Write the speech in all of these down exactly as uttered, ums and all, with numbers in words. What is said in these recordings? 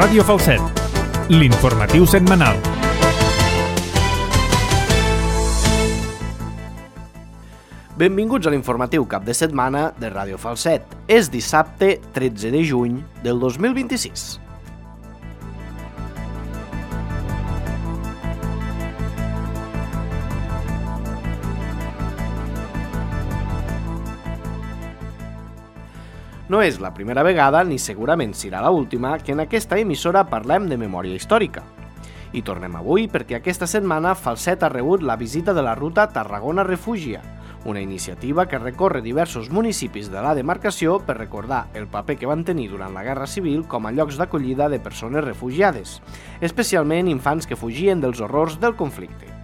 Ràdio Falset, l'informatiu setmanal. Benvinguts a l'informatiu cap de setmana de Ràdio Falset. És dissabte tretze de juny del dos mil vint-i-sis. No és la primera vegada, ni segurament serà l'última, que en aquesta emissora parlem de memòria històrica. I tornem avui perquè aquesta setmana Falset ha rebut la visita de la ruta Tarragona Refúgia, una iniciativa que recorre diversos municipis de la demarcació per recordar el paper que van tenir durant la Guerra Civil com a llocs d'acollida de persones refugiades, especialment infants que fugien dels horrors del conflicte.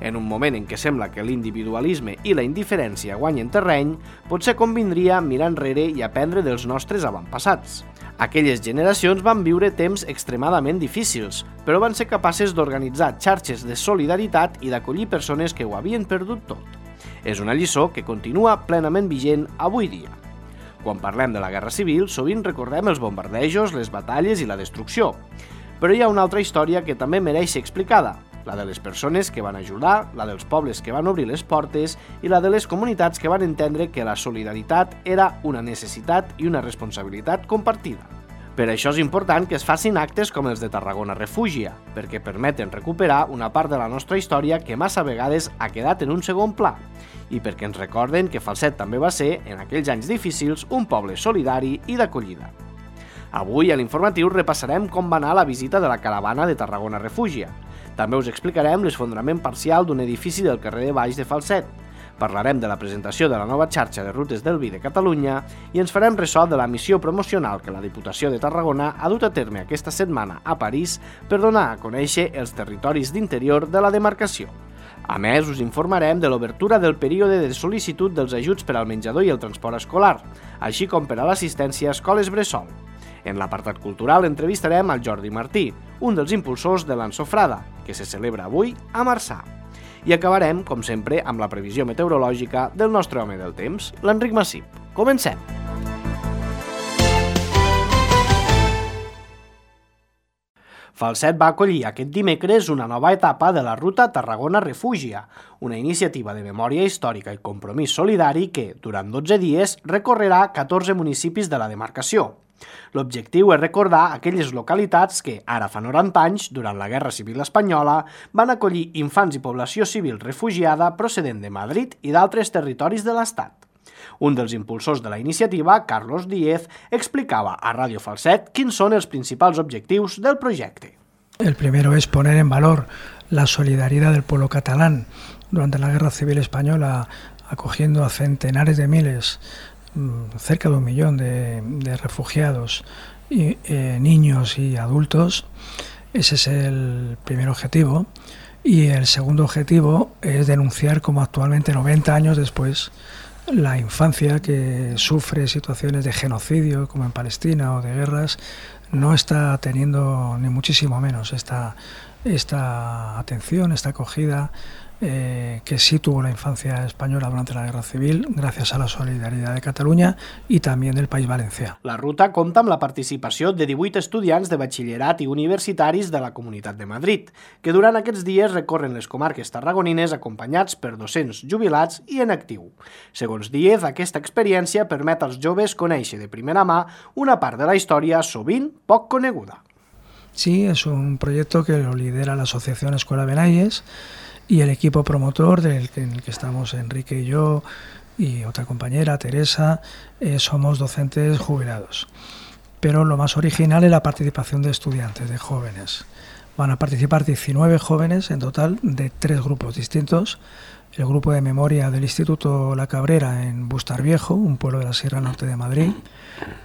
En un moment en què sembla que l'individualisme i la indiferència guanyen terreny, potser convindria mirar enrere i aprendre dels nostres avantpassats. Aquelles generacions van viure temps extremadament difícils, però van ser capaces d'organitzar xarxes de solidaritat i d'acollir persones que ho havien perdut tot. És una lliçó que continua plenament vigent avui dia. Quan parlem de la Guerra Civil, sovint recordem els bombardejos, les batalles i la destrucció. Però hi ha una altra història que també mereix ser explicada, la de les persones que van ajudar, la dels pobles que van obrir les portes i la de les comunitats que van entendre que la solidaritat era una necessitat i una responsabilitat compartida. Per això és important que es facin actes com els de Tarragona Refúgia, perquè permeten recuperar una part de la nostra història que massa vegades ha quedat en un segon pla, i perquè ens recorden que Falset també va ser, en aquells anys difícils, un poble solidari i d'acollida. Avui a l'informatiu repassarem com va anar la visita de la caravana de Tarragona Refúgia. També us explicarem l'esfondrament parcial d'un edifici del carrer de Baix de Falset. Parlarem de la presentació de la nova xarxa de rutes del vi de Catalunya i ens farem ressò de la missió promocional que la Diputació de Tarragona ha dut a terme aquesta setmana a París per donar a conèixer els territoris d'interior de la demarcació. A més, us informarem de l'obertura del període de sol·licitud dels ajuts per al menjador i el transport escolar, així com per a l'assistència a escoles bressol. En l'apartat cultural entrevistarem al Jordi Martí, un dels impulsors de l'Ensofrada, que se celebra avui a Marçà. I acabarem, com sempre, amb la previsió meteorològica del nostre home del temps, l'Enric Massip. Comencem! Falset va acollir aquest dimecres una nova etapa de la ruta Tarragona Refúgia, una iniciativa de memòria històrica i compromís solidari que, durant dotze dies, recorrerà catorze municipis de la demarcació. L'objectiu és recordar aquelles localitats que, ara fa noranta anys, durant la Guerra Civil Espanyola, van acollir infants i població civil refugiada procedent de Madrid i d'altres territoris de l'Estat. Un dels impulsors de la iniciativa, Carlos Díez, explicava a Ràdio Falset quins són els principals objectius del projecte. El primero es poner en valor la solidaridad del pueblo catalán durante la Guerra Civil Española, acogiendo a centenares de miles, cerca de un millón de, de refugiados, y, eh, niños y adultos. Ese es el primer objetivo. Y el segundo objetivo es denunciar cómo actualmente, noventa años después, la infancia que sufre situaciones de genocidio, como en Palestina o de guerras, no está teniendo ni muchísimo menos esta, esta atención, esta acogida Eh, que sí tuvo la infancia española durante la Guerra Civil, gracias a la solidaridad de Catalunya i també del País Valencià. La ruta compta amb la participació de divuit estudiants de batxillerat i universitaris de la Comunitat de Madrid, que durant aquests dies recorren les comarques tarragonines acompanyats per docents jubilats i en actiu. Segons Díez, aquesta experiència permet als joves conèixer de primera mà una part de la història sovint poc coneguda. Sí, es un proyecto que lo lidera la Asociación Escuela Benayes, y el equipo promotor del que, en el que estamos Enrique y yo y otra compañera, Teresa, eh, somos docentes jubilados. Pero lo más original es la participación de estudiantes, de jóvenes. Van a participar diecinueve jóvenes en total de tres grupos distintos. El grupo de memoria del Instituto La Cabrera en Bustar Viejo, un pueblo de la Sierra Norte de Madrid.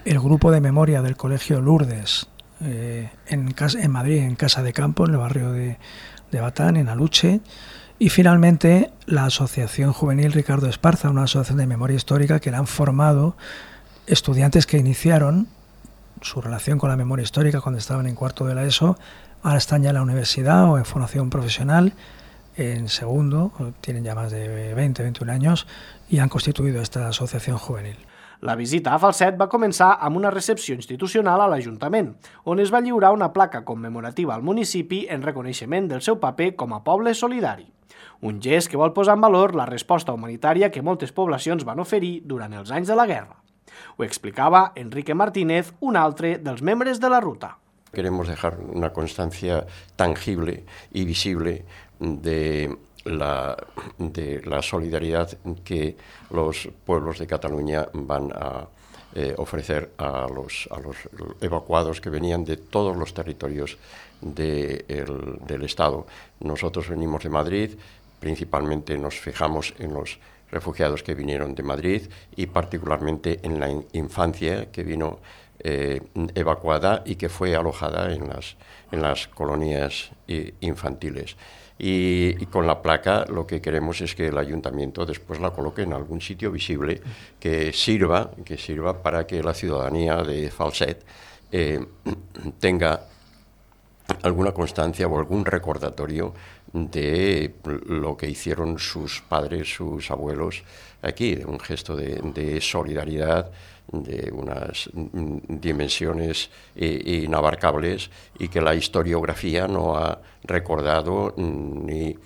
El grupo de memoria del Colegio Lourdes eh, en, casa, en Madrid, en Casa de Campo, en el barrio de de Batán, en Aluche, y finalmente la Asociación Juvenil Ricardo Esparza, una asociación de memoria histórica que la han formado estudiantes que iniciaron su relación con la memoria histórica cuando estaban en cuarto de la ESO, ahora están ya en la universidad o en formación profesional, en segundo, tienen ya más de veinte, veintiún años y han constituido esta asociación juvenil. La visita a Falset va començar amb una recepció institucional a l'Ajuntament, on es va lliurar una placa commemorativa al municipi en reconeixement del seu paper com a poble solidari. Un gest que vol posar en valor la resposta humanitària que moltes poblacions van oferir durant els anys de la guerra. Ho explicava Enrique Martínez, un altre dels membres de la ruta. Queremos dejar una constancia tangible y visible de la, de la solidaridad que los pueblos de Cataluña van a eh, ofrecer a los, a los evacuados que venían de todos los territorios de el, del Estado. Nosotros venimos de Madrid, principalmente nos fijamos en los refugiados que vinieron de Madrid y particularmente en la infancia que vino eh, evacuada y que fue alojada en las, en las colonias eh, infantiles. Y, y con la placa lo que queremos es que el ayuntamiento después la coloque en algún sitio visible que sirva, que sirva para que la ciudadanía de Falset eh, tenga alguna constancia o algún recordatorio de lo que hicieron sus padres, sus abuelos aquí, un gesto de, de solidaridad, de unas dimensiones eh, inabarcables y que la historiografía no ha recordado ni,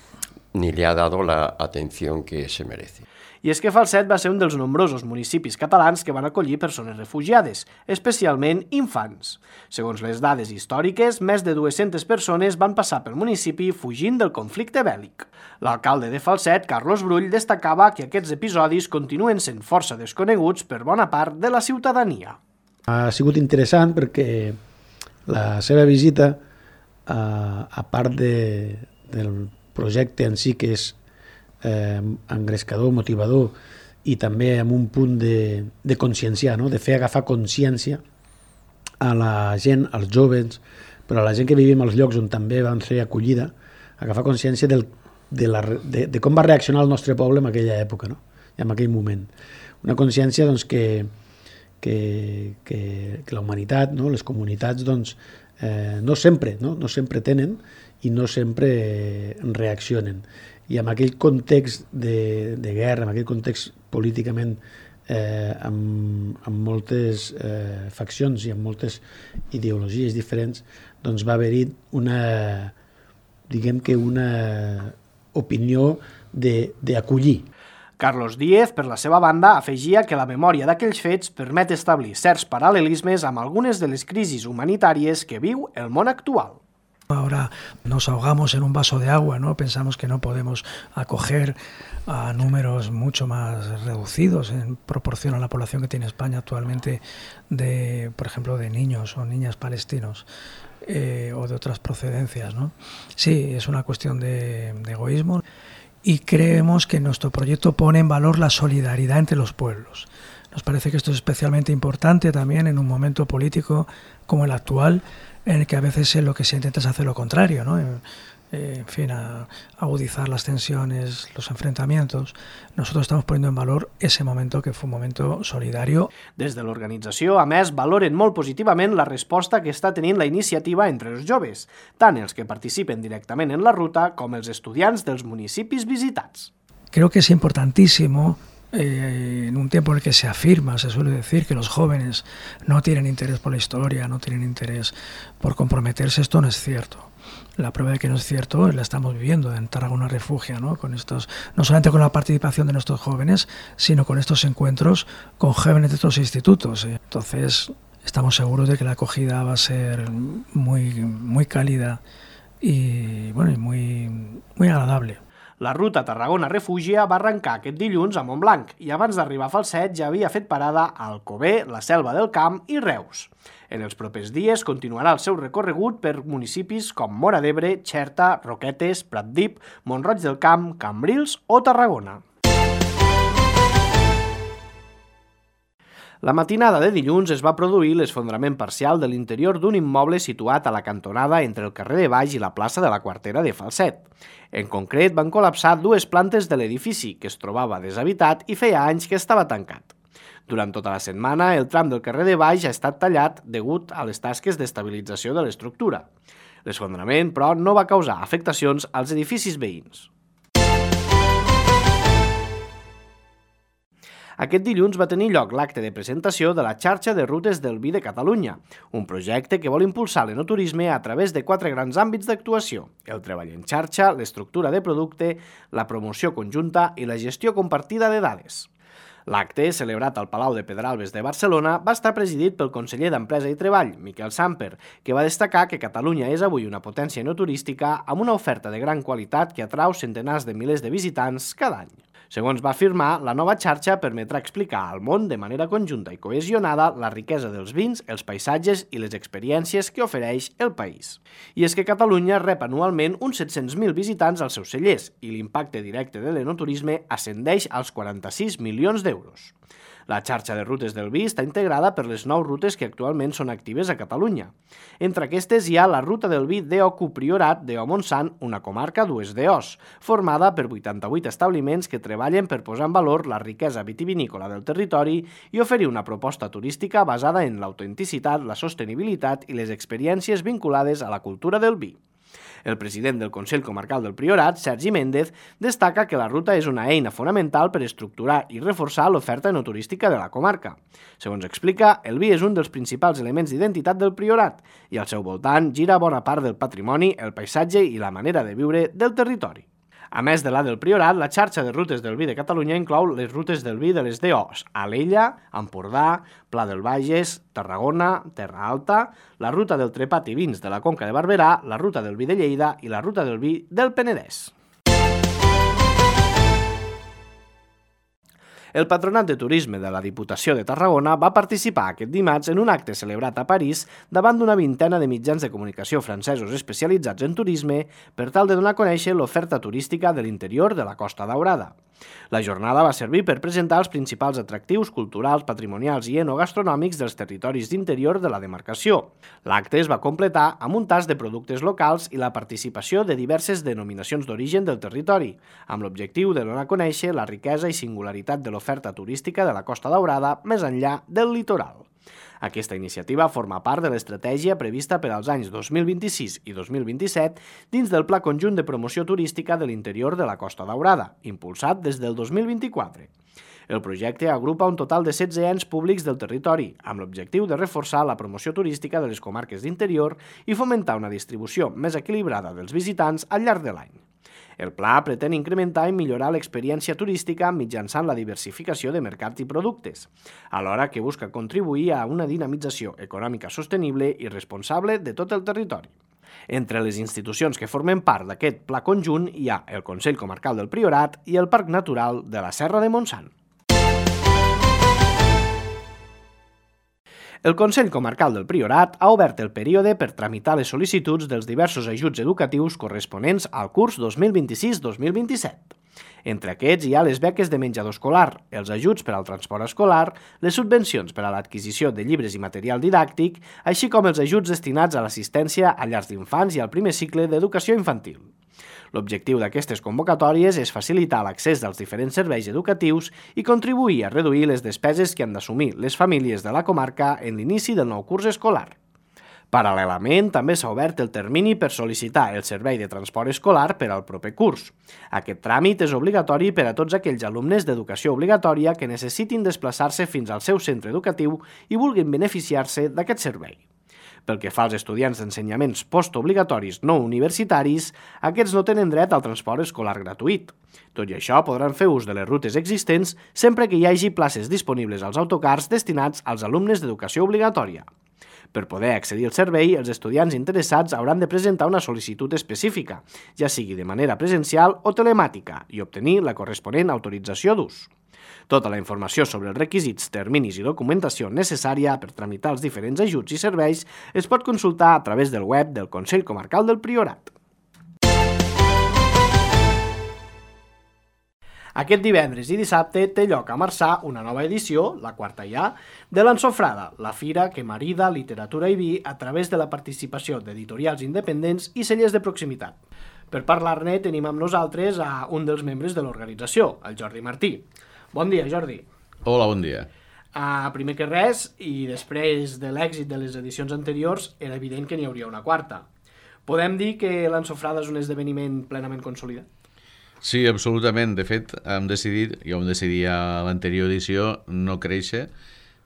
ni le ha dado la atención que se merece. I és que Falset va ser un dels nombrosos municipis catalans que van acollir persones refugiades, especialment infants. Segons les dades històriques, més de dues-centes persones van passar pel municipi fugint del conflicte bèl·lic. L'alcalde de Falset, Carlos Brull, destacava que aquests episodis continuen sent força desconeguts per bona part de la ciutadania. Ha sigut interessant perquè la seva visita, a part de, del projecte en si que és Eh, engrescador, motivador i també amb un punt de, de conscienciar, no? De fer agafar consciència a la gent, als joves, però a la gent que vivim als llocs on també van ser acollida, agafar consciència del, de, la, de, de com va reaccionar el nostre poble en aquella època, no? I en aquell moment. Una consciència doncs, que, que, que, que la humanitat, no? Les comunitats, doncs, eh, no sempre, no? No sempre tenen i no sempre reaccionen. I en aquell context de, de guerra, en aquell context políticament eh, amb, amb moltes eh, faccions i amb moltes ideologies diferents, doncs va haver-hi una, diguem que una opinió d'acollir. Carlos Díez, per la seva banda, afegia que la memòria d'aquells fets permet establir certs paral·lelismes amb algunes de les crisis humanitàries que viu el món actual. Ahora nos ahogamos en un vaso de agua, ¿no? Pensamos que no podemos acoger a números mucho más reducidos en proporción a la población que tiene España actualmente, de, por ejemplo, de niños o niñas palestinos eh, o de otras procedencias, ¿no? Sí, es una cuestión de, de egoísmo y creemos que nuestro proyecto pone en valor la solidaridad entre los pueblos. Nos parece que esto es especialmente importante también en un momento político como el actual, en el que a veces lo que se intenta es hacer lo contrario, ¿no? En, en fin, a, a agudizar las tensiones, los enfrentamientos. Nosotros estamos poniendo en valor ese momento que fue un momento solidario. Des de l'organització, a més, valoren molt positivament la resposta que està tenint la iniciativa entre els joves, tant els que participen directament en la ruta com els estudiants dels municipis visitats. Creo que es importantísimo. Eh, en un tiempo en el que se afirma, se suele decir que los jóvenes no tienen interés por la historia, no tienen interés por comprometerse, esto no es cierto. La prueba de que no es cierto la estamos viviendo en Tarragona Refugia, ¿no? Con estos, no solamente con la participación de nuestros jóvenes, sino con estos encuentros con jóvenes de otros institutos. ¿eh? Entonces, estamos seguros de que la acogida va a ser muy, muy cálida y, bueno, y muy, muy agradable. La ruta Tarragona Refugia va arrencar aquest dilluns a Montblanc i abans d'arribar a Falset ja havia fet parada a Alcover, la Selva del Camp i Reus. En els propers dies continuarà el seu recorregut per municipis com Móra d'Ebre, Xerta, Roquetes, Pratdip, Mont-roig del Camp, Cambrils o Tarragona. La matinada de dilluns es va produir l'esfondrament parcial de l'interior d'un immoble situat a la cantonada entre el carrer de Baix i la plaça de la Quartera de Falset. En concret, van col·lapsar dues plantes de l'edifici, que es trobava deshabitat i feia anys que estava tancat. Durant tota la setmana, el tram del carrer de Baix ha estat tallat degut a les tasques d'estabilització de l'estructura. L'esfondrament, però, no va causar afectacions als edificis veïns. Aquest dilluns va tenir lloc l'acte de presentació de la xarxa de rutes del vi de Catalunya, un projecte que vol impulsar l'enoturisme a través de quatre grans àmbits d'actuació: el treball en xarxa, l'estructura de producte, la promoció conjunta i la gestió compartida de dades. L'acte, celebrat al Palau de Pedralbes de Barcelona, va estar presidit pel conseller d'Empresa i Treball, Miquel Samper, que va destacar que Catalunya és avui una potència enoturística amb una oferta de gran qualitat que atrau centenars de milers de visitants cada any. Segons va afirmar, la nova xarxa permetrà explicar al món de manera conjunta i cohesionada la riquesa dels vins, els paisatges i les experiències que ofereix el país. I és que Catalunya rep anualment uns set-cents mil visitants als seus cellers i l'impacte directe de l'enoturisme ascendeix als quaranta-sis milions d'euros. La xarxa de rutes del vi està integrada per les nou rutes que actualment són actives a Catalunya. Entre aquestes hi ha la ruta del vi D O Q Priorat D O Montsant, una comarca dues D Os, formada per vuitanta-vuit establiments que treballen per posar en valor la riquesa vitivinícola del territori i oferir una proposta turística basada en l'autenticitat, la sostenibilitat i les experiències vinculades a la cultura del vi. El president del Consell Comarcal del Priorat, Sergi Méndez, destaca que la ruta és una eina fonamental per estructurar i reforçar l'oferta enoturística de la comarca. Segons explica, el vi és un dels principals elements d'identitat del Priorat i al seu voltant gira bona part del patrimoni, el paisatge i la manera de viure del territori. A més de la del Priorat, la xarxa de rutes del vi de Catalunya inclou les rutes del vi de les D Os: Alella, Empordà, Pla del Bages, Tarragona, Terra Alta, la ruta del Trepat i Vins de la Conca de Barberà, la ruta del vi de Lleida i la ruta del vi del Penedès. El Patronat de Turisme de la Diputació de Tarragona va participar aquest dimarts en un acte celebrat a París davant d'una vintena de mitjans de comunicació francesos especialitzats en turisme per tal de donar a conèixer l'oferta turística de l'interior de la Costa Daurada. La jornada va servir per presentar els principals atractius culturals, patrimonials i enogastronòmics dels territoris d'interior de la demarcació. L'acte es va completar amb un tast de productes locals i la participació de diverses denominacions d'origen del territori, amb l'objectiu de donar a conèixer la riquesa i singularitat de l'oferta turística de la Costa Daurada més enllà del litoral. Aquesta iniciativa forma part de l'estratègia prevista per als anys dos mil vint-i-sis i dos mil vint-i-set dins del Pla Conjunt de Promoció Turística de l'Interior de la Costa Daurada, impulsat des del dos mil vint-i-quatre. El projecte agrupa un total de setze ens públics del territori, amb l'objectiu de reforçar la promoció turística de les comarques d'interior i fomentar una distribució més equilibrada dels visitants al llarg de l'any. El pla pretén incrementar i millorar l'experiència turística mitjançant la diversificació de mercats i productes, alhora que busca contribuir a una dinamització econòmica sostenible i responsable de tot el territori. Entre les institucions que formen part d'aquest pla conjunt hi ha el Consell Comarcal del Priorat i el Parc Natural de la Serra de Montsant. El Consell Comarcal del Priorat ha obert el període per tramitar les sol·licituds dels diversos ajuts educatius corresponents al curs dos mil vint-i-sis dos mil vint-i-set. Entre aquests hi ha les beques de menjador escolar, els ajuts per al transport escolar, les subvencions per a l'adquisició de llibres i material didàctic, així com els ajuts destinats a l'assistència a llars d'infants i al primer cicle d'educació infantil. L'objectiu d'aquestes convocatòries és facilitar l'accés dels diferents serveis educatius i contribuir a reduir les despeses que han d'assumir les famílies de la comarca en l'inici del nou curs escolar. Paral·lelament, també s'ha obert el termini per sol·licitar el servei de transport escolar per al proper curs. Aquest tràmit és obligatori per a tots aquells alumnes d'educació obligatòria que necessitin desplaçar-se fins al seu centre educatiu i vulguin beneficiar-se d'aquest servei. Pel que fa als estudiants d'ensenyaments postobligatoris no universitaris, aquests no tenen dret al transport escolar gratuït. Tot i això, podran fer ús de les rutes existents sempre que hi hagi places disponibles als autocars destinats als alumnes d'educació obligatòria. Per poder accedir al servei, els estudiants interessats hauran de presentar una sol·licitud específica, ja sigui de manera presencial o telemàtica, i obtenir la corresponent autorització d'ús. Tota la informació sobre els requisits, terminis i documentació necessària per tramitar els diferents ajuts i serveis es pot consultar a través del web del Consell Comarcal del Priorat. Aquest divendres i dissabte té lloc a Marçà una nova edició, la quarta ja, de l'Ensofrada, la fira que marida literatura i vi a través de la participació d'editorials independents i cellers de proximitat. Per parlar-ne tenim amb nosaltres a un dels membres de l'organització, el Jordi Martí. Bon dia, Jordi. Hola, bon dia. Uh, primer que res, i després de l'èxit de les edicions anteriors, era evident que n'hi hauria una quarta. Podem dir que l'Ensofrada és un esdeveniment plenament consolidat? Sí, absolutament. De fet, hem decidit, ja ho vam decidir a l'anterior edició, no créixer.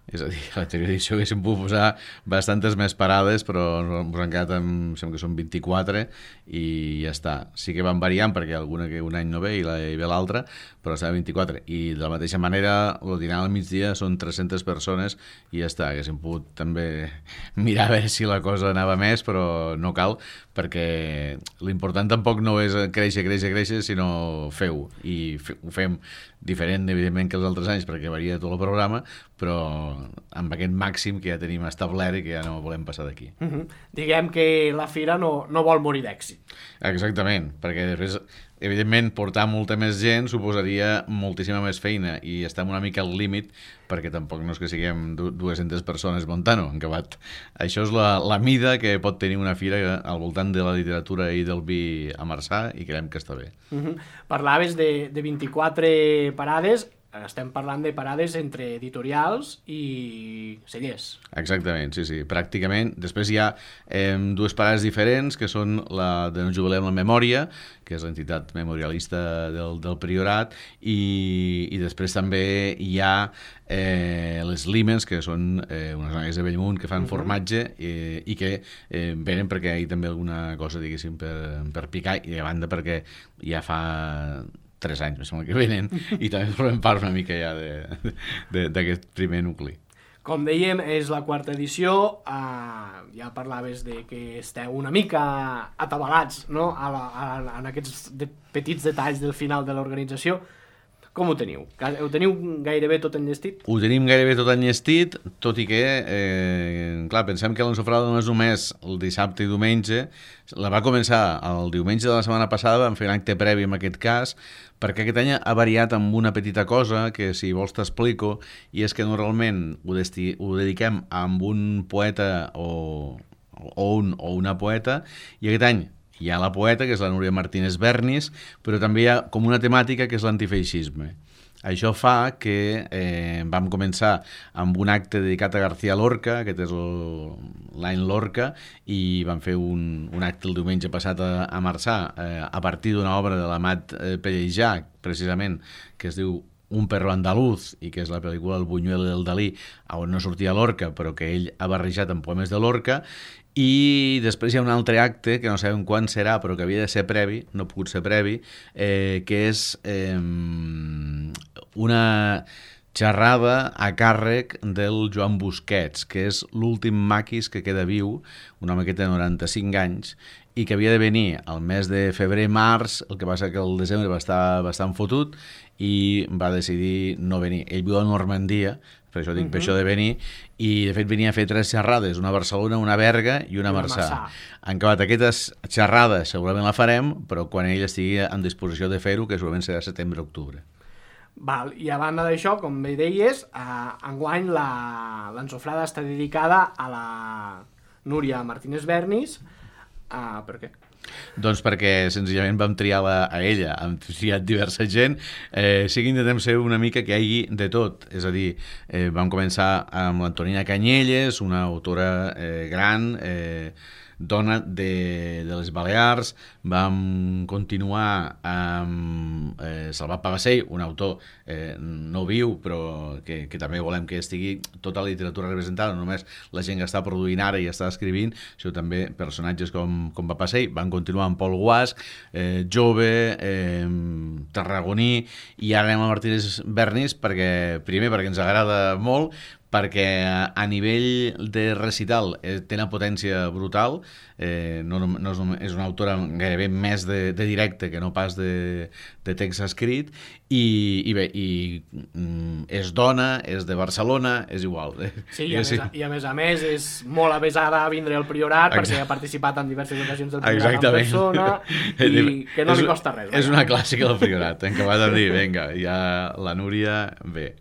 És a dir, a l'anterior edició haguéssim pogut posar bastantes més parades, però ens han quedat amb, sembla que són vint-i-quatre i ja està. Sí que van variant perquè alguna que un any no ve i, la, i ve l'altra, però està a vint-i-quatre. I de la mateixa manera, el dinar al migdia són tres-centes persones i ja està. Haguéssim pogut també mirar a veure si la cosa anava més, però no cal, perquè l'important tampoc no és créixer, créixer, créixer, sinó fer-ho. I fe, ho fem diferent, evidentment, que els altres anys, perquè varia tot el programa, però amb aquest màxim que ja tenim establert i que ja no volem passar d'aquí. Uh-huh. Diguem que la fira no, no vol morir d'èxit. Exactament, perquè després, evidentment, portar molta més gent suposaria moltíssima més feina i estem una mica al límit, perquè tampoc no és que siguem dues-centes persones muntant-ho, en acabat. Això és la, la mida que pot tenir una fira al voltant de la literatura i del vi a Marçà i creiem que està bé. Uh-huh. Parlaves de, de vint-i-quatre parades, estem parlant de parades entre editorials i cellers. Exactament, sí, sí, pràcticament. Després hi ha eh, dues parades diferents, que són la de No jubilem la memòria, que és l'entitat memorialista del, del Priorat, i, i després també hi ha eh, les Límens, que són eh, unes noies de Bellmunt que fan uh-huh. formatge eh, i que eh, venen perquè hi ha també alguna cosa, diguéssim, per, per picar, i a banda perquè ja fa tres anys, me sembla que venen, i també formem part una mica ja d'aquest primer nucli. Com dèiem, és la quarta edició, eh, ja parlaves de que esteu una mica atabalats, no?, a la, a, en aquests de, petits detalls del final de l'organització. Com ho teniu? Ho teniu gairebé tot enllestit? Ho tenim gairebé tot enllestit, tot i que, eh, clar, pensem que l'ensofrada no és només el dissabte i diumenge, la va començar el diumenge de la setmana passada, vam fer un acte previ en aquest cas, perquè aquest any ha variat amb una petita cosa que, si vols, t'explico, i és que normalment ho, desti, ho dediquem a un poeta o, o, un, o una poeta, i aquest any hi ha la poeta, que és la Núria Martínez Bernis, però també hi ha com una temàtica que és l'antifeixisme. Això fa que eh, vam començar amb un acte dedicat a García Lorca, aquest és l'any Lorca, i vam fer un, un acte el diumenge passat a, a Marçà, eh, a partir d'una obra de l'Amat eh, Pellejà, precisament, que es diu Un perro andaluz, i que és la pel·lícula El Buñuel del Dalí, on no sortia Lorca, però que ell ha barrejat amb poemes de Lorca. I després hi ha un altre acte, que no sabem quan serà, però que havia de ser previ, no ha pogut ser previ, eh, que és eh, una xerrada a càrrec del Joan Busquets, que és l'últim maquis que queda viu, un home que té noranta-cinc anys, i que havia de venir al mes de febrer-març, el que passa que el desembre va estar bastant fotut, i va decidir no venir. Ell viu a Normandia, per això dic, uh-huh. per això de venir, i de fet venia a fer tres xerrades, una a Barcelona, una a Berga i una a Marçà. Han acabat aquestes xerrades, segurament la farem, però quan ell estigui en disposició de fer-ho, que segurament serà setembre-octubre. Val, i a banda d'això, com bé deies, eh, enguany l'ensofrada està dedicada a la Núria Martínez Bernis. Eh, per què? Doncs perquè senzillament vam triar la, a ella, hem triat diversa gent, eh, sí que intentem ser una mica que hi hagi de tot, és a dir, eh, vam començar amb l'Antonina Canyelles, una autora eh, gran, eh, dona de, de les Balears, vam continuar amb eh, Salvat Pagasell, un autor eh, no viu, però que, que també volem que estigui tota la literatura representada, no només la gent que està produint ara i està escrivint, sinó també personatges com, com Pagasell. Vam continuar amb Pol Guasch, eh, jove, eh, tarragoní, i ara anem a Martínez Bernis, perquè, primer perquè ens agrada molt, perquè a nivell de recital eh, té una potència brutal, eh, no, no és, és una autora gairebé més de, de directe que no pas de, de text escrit, i, i bé, i, mm, és dona, és de Barcelona, és igual. Sí, i a, sí. Més, i a més a més és molt avesada a vindre al Priorat, Exacte. Perquè ha participat en diverses ocasions del Priorat Exactament. En persona, i que no és, li costa res. És una clàssica del Priorat, hem acabat de dir, vinga, ja la Núria ve.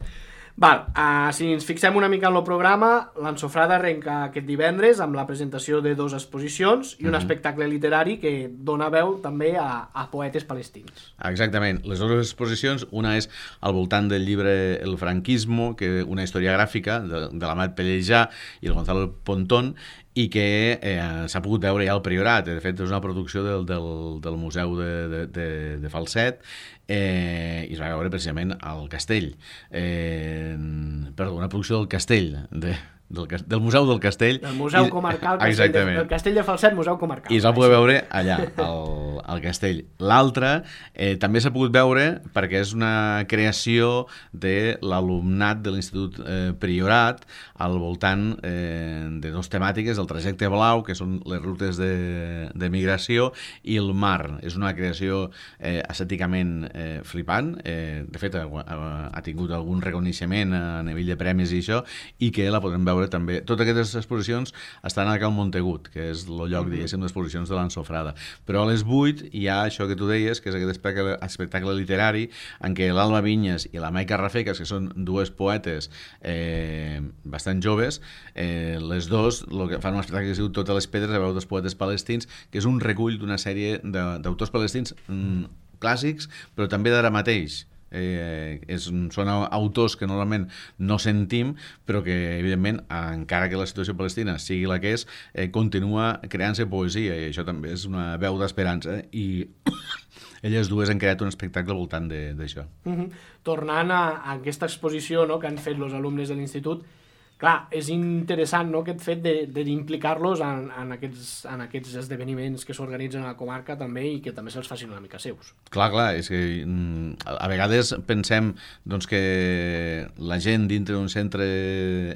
Val, uh, si ens fixem una mica en el programa, l'Ensofrada arrenca aquest divendres amb la presentació de dues exposicions i un mm-hmm. espectacle literari que dona veu també a, a poetes palestins. Exactament, les dues exposicions, una és al voltant del llibre El franquismo, que una història gràfica de, de l'Amat Pellejà i el Gonzalo Pontón, i que eh, s'ha pogut veure ja al Priorat. De fet, és una producció del, del, del Museu de, de, de, de Falset, eh, i es va veure precisament al Castell. Eh, perdó, una producció del Castell, de, del, del Museu del Castell. Del Museu I, Comarcal, exactament. del Castell de Falset, Museu Comarcal. I es va poder veure allà, al, al Castell. L'altre eh, també s'ha pogut veure perquè és una creació de l'alumnat de l'Institut eh, Priorat al voltant eh, de dos temàtiques, el trajecte blau, que són les rutes de, de migració, i el mar. És una creació eh, estèticament eh, flipant. Eh, de fet, ha, ha tingut algun reconeixement a nivell de premis i això, i que la podrem veure també. Totes aquestes exposicions estan a Cal Montegut, que és el lloc, diguéssim, d'exposicions de l'Ansofrada. Però a les vuit hi ha això que tu deies, que és aquest espectacle, espectacle literari en què l'Alba Vinyes i la Maica Rafecas, que són dues poetes eh, bastant joves, eh, les dos lo que fan un espectacle que es diu Totes les pedres, a veu dels poetes palestins, que és un recull d'una sèrie d'autors palestins mm, clàssics, però també d'ara mateix. Eh, és, són autors que normalment no sentim, però que evidentment, encara que la situació palestina sigui la que és, eh, continua creant-se poesia, i això també és una veu d'esperança, eh? I elles dues han creat un espectacle al voltant d'això. Mm-hmm. Tornant a, a aquesta exposició, no?, que han fet els alumnes de l'institut, clar, és interessant, no?, aquest fet d'implicar-los en, en, aquests, en aquests esdeveniments que s'organitzen a la comarca també, i que també se'ls facin una mica seus. Clar, clar, és que a vegades pensem doncs, que la gent dintre d'un centre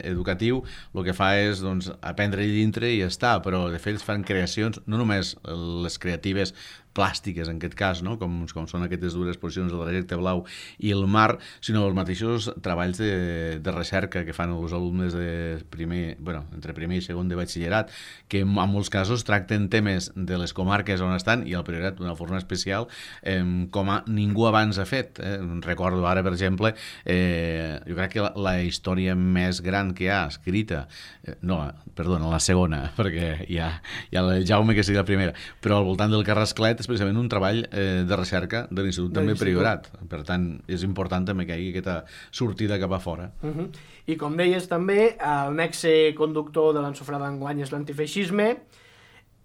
educatiu el que fa és doncs, aprendre dintre i ja està, però de fet es fan creacions, no només les creatives plàstiques, en aquest cas, no? com, com són aquestes dues exposicions del trajecte blau i el mar, sinó els mateixos treballs de, de recerca que fan els alumnes de primer, bueno, entre primer i segon de batxillerat, que en molts casos tracten temes de les comarques on estan, i al Priorat d'una forma especial, eh, com a ningú abans ha fet. Eh? Recordo ara, per exemple, eh, jo crec que la, la història més gran que hi ha escrita, eh, no, perdona, la segona, perquè hi ha, hi ha el Jaume que sigui la primera, però al voltant del Carrasclet és precisament un treball eh, de recerca de l'Institut també Priorat. Per tant, és important també que hi hagi aquesta sortida cap a fora. Uh-huh. I com deies també, el nexe conductor de l'Ansofrada d'enguany és l'antifeixisme,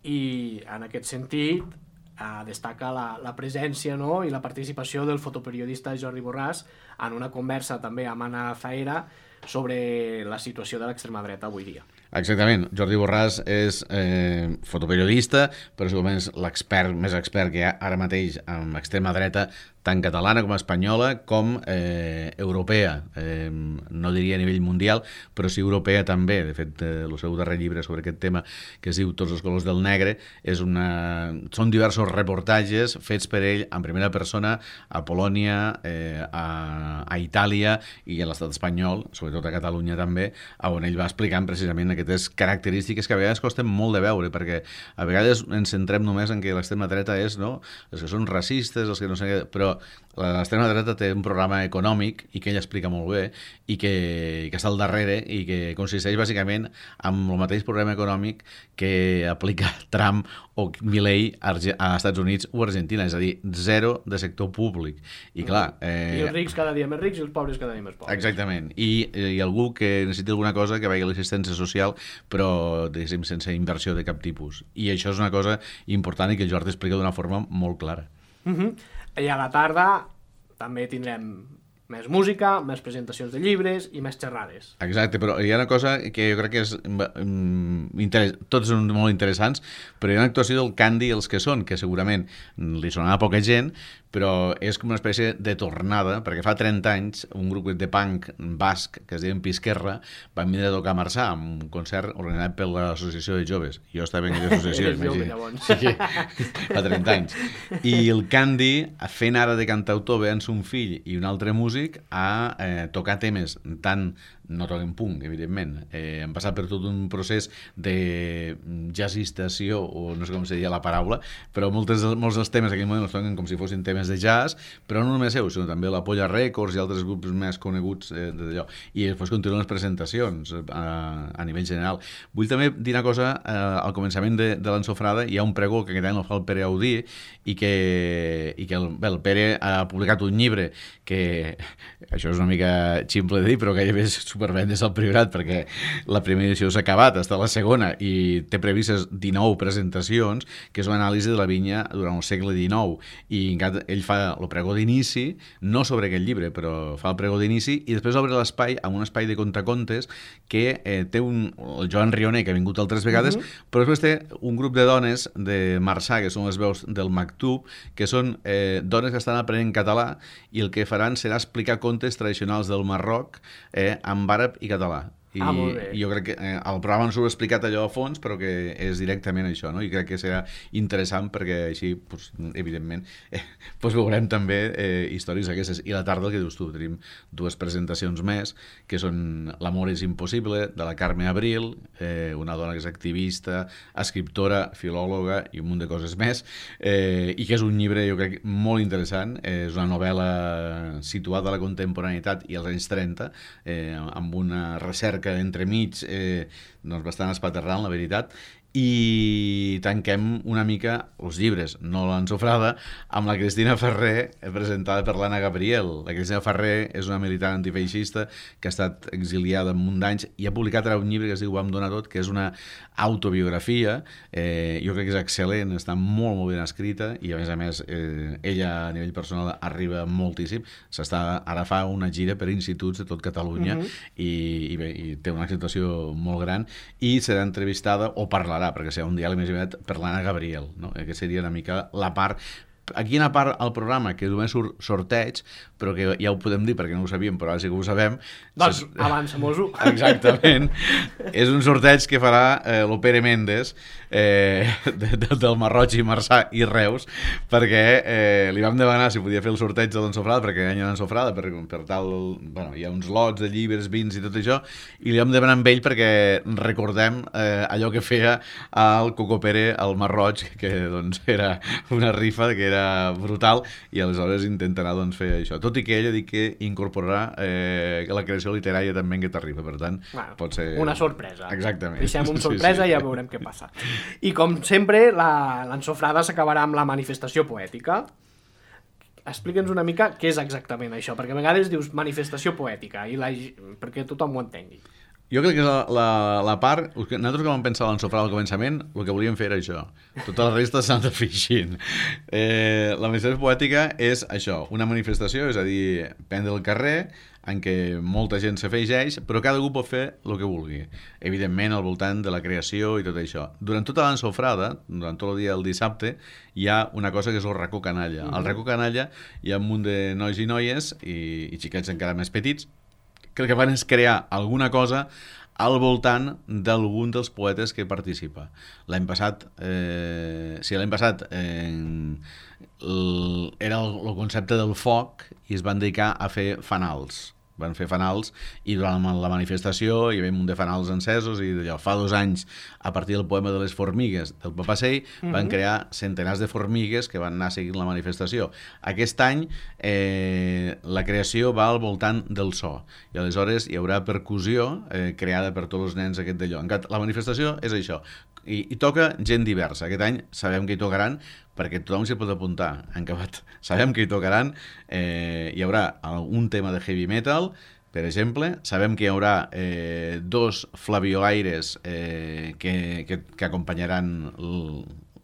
i en aquest sentit eh, destaca la, la presència, no?, i la participació del fotoperiodista Jordi Borràs en una conversa també amb Anna Zaera sobre la situació de l'extrema dreta avui dia. Exactament. Jordi Borràs és eh, fotoperiodista, però segurament és l'expert més expert que hi ha ara mateix en extrema dreta, tant catalana com espanyola, com eh, europea. Eh, no diria a nivell mundial, però sí europea també. De fet, eh, el seu darrer llibre sobre aquest tema, que es diu Tots els colors del negre, és una... són diversos reportatges fets per ell en primera persona a Polònia, eh, a, a Itàlia i a l'estat espanyol, sobretot a Catalunya també, on ell va explicant precisament aquestes característiques que a vegades costen molt de veure, perquè a vegades ens centrem només en que l'extrema dreta és, no?, els que són racistes, els que no sé què, però l'extrema dreta té un programa econòmic i que ell explica molt bé i que, que està al darrere i que consisteix bàsicament en el mateix programa econòmic que aplica Trump o Milei a Estats Units o Argentina, és a dir, zero de sector públic. I clar... Eh... I els rics cada dia més rics i els pobres cada dia més pobres. Exactament. I, i algú que necessiti alguna cosa que vagi a l'assistència social, però diguéssim sense inversió de cap tipus. I això és una cosa important i que el Jordi explica d'una forma molt clara. Uh-huh. I a la tarda també tindrem més música, més presentacions de llibres i més xerrades. Exacte, però hi ha una cosa que jo crec que és interess... tots són molt interessants, però hi ha una actuació del Candy Els que són, que segurament li sonarà a poca gent, però és com una espècie de tornada, perquè fa trenta anys un grup de punk basc que es diuen Pisquerra van vindre a tocar a Marçà amb un concert organitzat per l'associació de joves. Jo estava en aquella associació. Eres jove, llavors. Sí, fa trenta anys. I el Candy, fent ara de cantautor, veient son fill i un altre músic, a eh, tocar temes tan... no toquen punk, evidentment. Eh, han passat per tot un procés de jazzistació, o no sé com se diria la paraula, però moltes, molts dels temes en aquell moment els toquen com si fossin temes de jazz, però no només seus, sinó també la Polla Records i altres grups més coneguts eh, d'allò. I després continuen les presentacions a, a nivell general. Vull també dir una cosa, eh, al començament de, de l'Ansofrada hi ha un pregó que aquest any el fa el Pere Audí i que, i que el, bé, el Pere ha publicat un llibre que això és una mica ximple de dir, però gairebé és superben des del Priorat, perquè la primera edició s'ha acabat, està la segona, i té previstes dinou presentacions, que és una anàlisi de la vinya durant el segle dinou, i ell fa el pregó d'inici, no sobre aquest llibre, però fa el pregó d'inici, i després obre l'espai amb un espai de contacontes que eh, té un, el Joan Rioner, que ha vingut altres vegades, mm-hmm. però després té un grup de dones de Marçà, que són les veus del Maktub, que són eh, dones que estan aprenent català, i el que faran serà explicar contes tradicionals del Marroc eh, en àrab i català. I ah, molt bé. Jo crec que eh, el programa ens ho ha explicat allò a fons, però que és directament això, no? I crec que serà interessant perquè així, pues, evidentment, eh, pues veurem també eh, històries aquestes. I la tarda, el que dius tu, tenim dues presentacions més, que són L'amor és impossible, de la Carme Abril, eh, una dona que és activista, escriptora, filòloga i un munt de coses més, eh, i que és un llibre, jo crec, molt interessant. Eh, és una novel·la situada a la contemporaneitat i als anys trenta, eh, amb una recerca que entremig eh, doncs bastant espaterrant, la veritat, i tanquem una mica els llibres, no l'ensofrada, amb la Cristina Ferrer, presentada per l'Anna Gabriel. La Cristina Ferrer és una militant antifeixista que ha estat exiliada en un d'anys i ha publicat ara un llibre que es diu Vam donar tot, que és una autobiografia. Eh, jo crec que és excel·lent, està molt, molt ben escrita, i a més a més eh, ella a nivell personal arriba moltíssim. S'està, ara fa una gira per instituts de tot Catalunya, mm-hmm. i, i, bé, i té una acceptació molt gran, i serà entrevistada o parlarà, perquè serà un diàleg més aviat per l'Anna Gabriel, no? Que seria una mica la part. Aquí una part al programa que només surt sorteig, però que ja ho podem dir perquè no ho sabíem, però ara sí que ho sabem. Doncs avança-mos-ho. Exactament. És un sorteig que farà eh, l'Opere Mendes, eh, de, de, del Marroig i Marçà i Reus, perquè eh, li vam demanar si podia fer el sorteig de l'ensofrada, perquè any l'ensofrada, per, per tal, bueno, hi ha uns lots de llibres, vins i tot això, i li vam demanar amb ell perquè recordem eh, allò que feia el Cocopere al Marroig, que doncs era una rifa que era brutal, i aleshores intentarà doncs, fer això, tot i que ella diu que incorporarà eh, la creació literària també en aquesta rifa, per tant bueno, pot ser una sorpresa. Exactament. Deixem un sorpresa, sí, sí. I ja veurem què passa. I com sempre l'ensofrada s'acabarà amb la manifestació poètica. Explica'ns una mica què és exactament això, perquè a vegades dius manifestació poètica i la... perquè tothom ho entengui. Jo crec que la, la, la part... Nosaltres que vam pensar a l'ensofrada al començament, el que volíem fer era això. Tota la resta s'ha de fer així. Eh, la manifestació poètica és això, una manifestació, és a dir, prendre el carrer, en què molta gent s'afegeix, però cada grup pot fer el que vulgui. Evidentment, al voltant de la creació i tot això. Durant tota l'ensofrada, durant tot el dia del dissabte, hi ha una cosa que és el racó canalla. Al racó canalla hi ha un munt de nois i noies, i, i xiquets encara més petits, que el que fan és crear alguna cosa al voltant d'algun dels poetes que participa. L'any passat, eh, sí, l'any passat eh, el, era el, el concepte del foc, i es van dedicar a fer fanals. Van fer fanals, i durant la manifestació hi havia un munt de fanals encesos, i d'allò, fa dos anys, a partir del poema de les formigues del Papasseit, mm-hmm. van crear centenars de formigues que van anar seguint la manifestació. Aquest any eh, la creació va al voltant del so, i aleshores hi haurà percussió eh, creada per tots els nens aquest d'allò. La manifestació és això, i, i toca gent diversa. Aquest any sabem que hi tocaran, perquè tothom s'hi pot apuntar. En acabat, sabem que hi tocaran, eh, hi haurà un tema de heavy metal, per exemple, sabem que hi haurà eh, dos flabiolaires eh, que, que, que acompanyaran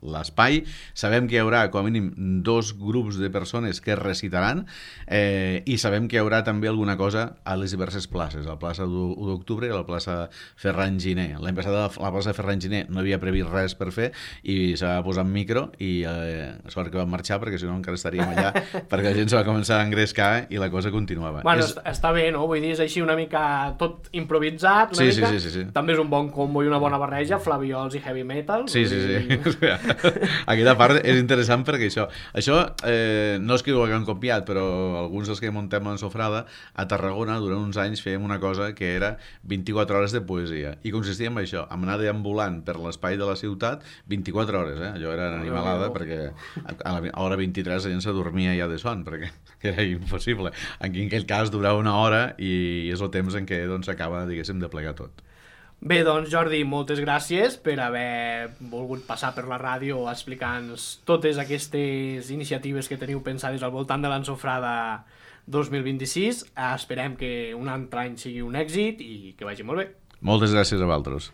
l'espai, sabem que hi haurà com a mínim dos grups de persones que recitaran, eh, i sabem que hi haurà també alguna cosa a les diverses places, a la plaça u d'octubre i a la plaça Ferran Giner. L'any passat a la plaça Ferran Giner no havia previst res per fer, i s'ha posat en micro, i eh, sort que vam marxar, perquè si no encara estaríem allà, perquè la gent se va començar a engrescar i la cosa continuava. Bueno, és... està bé, no? Vull dir, és així una mica tot improvisat, una sí, mica. Sí, sí, sí, sí. També és un bon combo i una bona barreja, flaviols i heavy metal. Sí, sí, sí. Aquesta part és interessant perquè això, això eh, no és que ho haguem copiat, però alguns dels que muntem l'ensofrada a Tarragona durant uns anys fèiem una cosa que era vint-i-quatre hores de poesia, i consistia en això, en anar deambulant per l'espai de la ciutat vint-i-quatre hores, eh? Allò era animalada, perquè a l'hora vint-i-tres la gent s'adormia ja de son, perquè era impossible. En aquell cas durava una hora, i és el temps en què doncs, s'acaba, diguéssim, de plegar tot. Bé, doncs Jordi, moltes gràcies per haver volgut passar per la ràdio explicant-nos totes aquestes iniciatives que teniu pensades al voltant de l'ensofrada dos mil vint-i-sis. Esperem que un altre any sigui un èxit i que vagi molt bé. Moltes gràcies a vosaltres.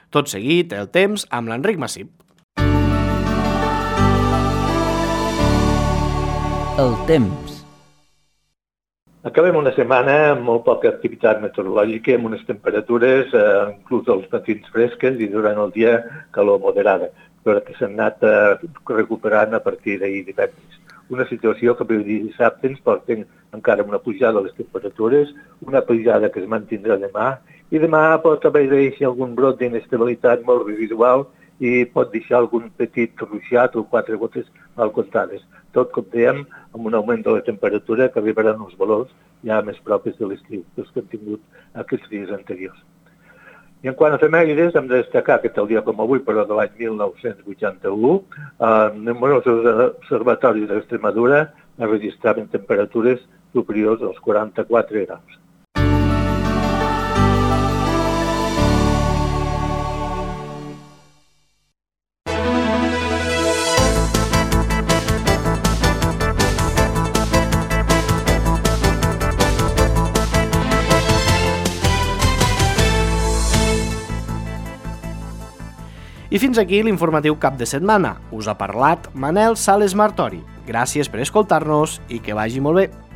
Tot seguit, el temps amb l'Enric Massip. El temps. Acabem una setmana amb molt poca activitat meteorològica, amb unes temperatures, eh, inclús als matins fresques i durant el dia calor moderada, però que s'han anat eh, recuperant a partir d'ahir divendres. Una situació que per dissabte ens porten encara una pujada de les temperatures, una pujada que es mantindrà demà, i demà pot haver deixar algun brot d'inestabilitat molt residual i pot deixar algun petit ruixat o quatre gotes mal comptades. Tot, com dèiem, amb un augment de la temperatura que arribaran uns valors ja més propis de l'estiu, dels que han tingut aquests dies anteriors. I en quant a efemèrides, hem de destacar que tal dia com avui, però de l'any mil nou-cents vuitanta-u, eh, numerosos observatoris d'Extremadura registraven temperatures superiors als quaranta-quatre graus. I fins aquí l'informatiu cap de setmana. Us ha parlat Manel Sales Martori. Gràcies per escoltar-nos i que vagi molt bé.